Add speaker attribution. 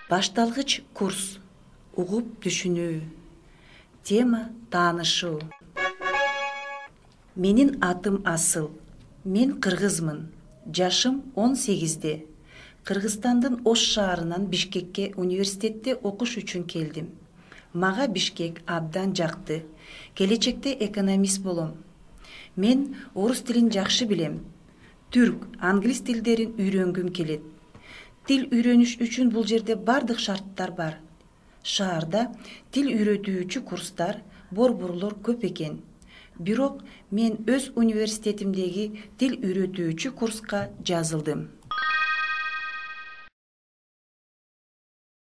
Speaker 1: Башталгыч курс. Угуп түшүнүү. Тема таанышуу. Менин атым Асыл. Мен кыргызмын. Жашым 18-де. Кыргызстандын Ош шаарынан Бишкекке университетте окуш үчүн келдим. Мага Бишкек абдан жакты. Келечекте экономист болом. Мен орус тилин жакшы билем. Түрк, англис тилдерин үйрөнгүм келет. Тил үйрөнүш үчүн бул жерде бардык шарттар бар. Шаарда тил үйрөтүүчү курстар, борборлор көп экен. Бирок мен өз университетимдеги тил үйрөтүүчү курска жазылдым.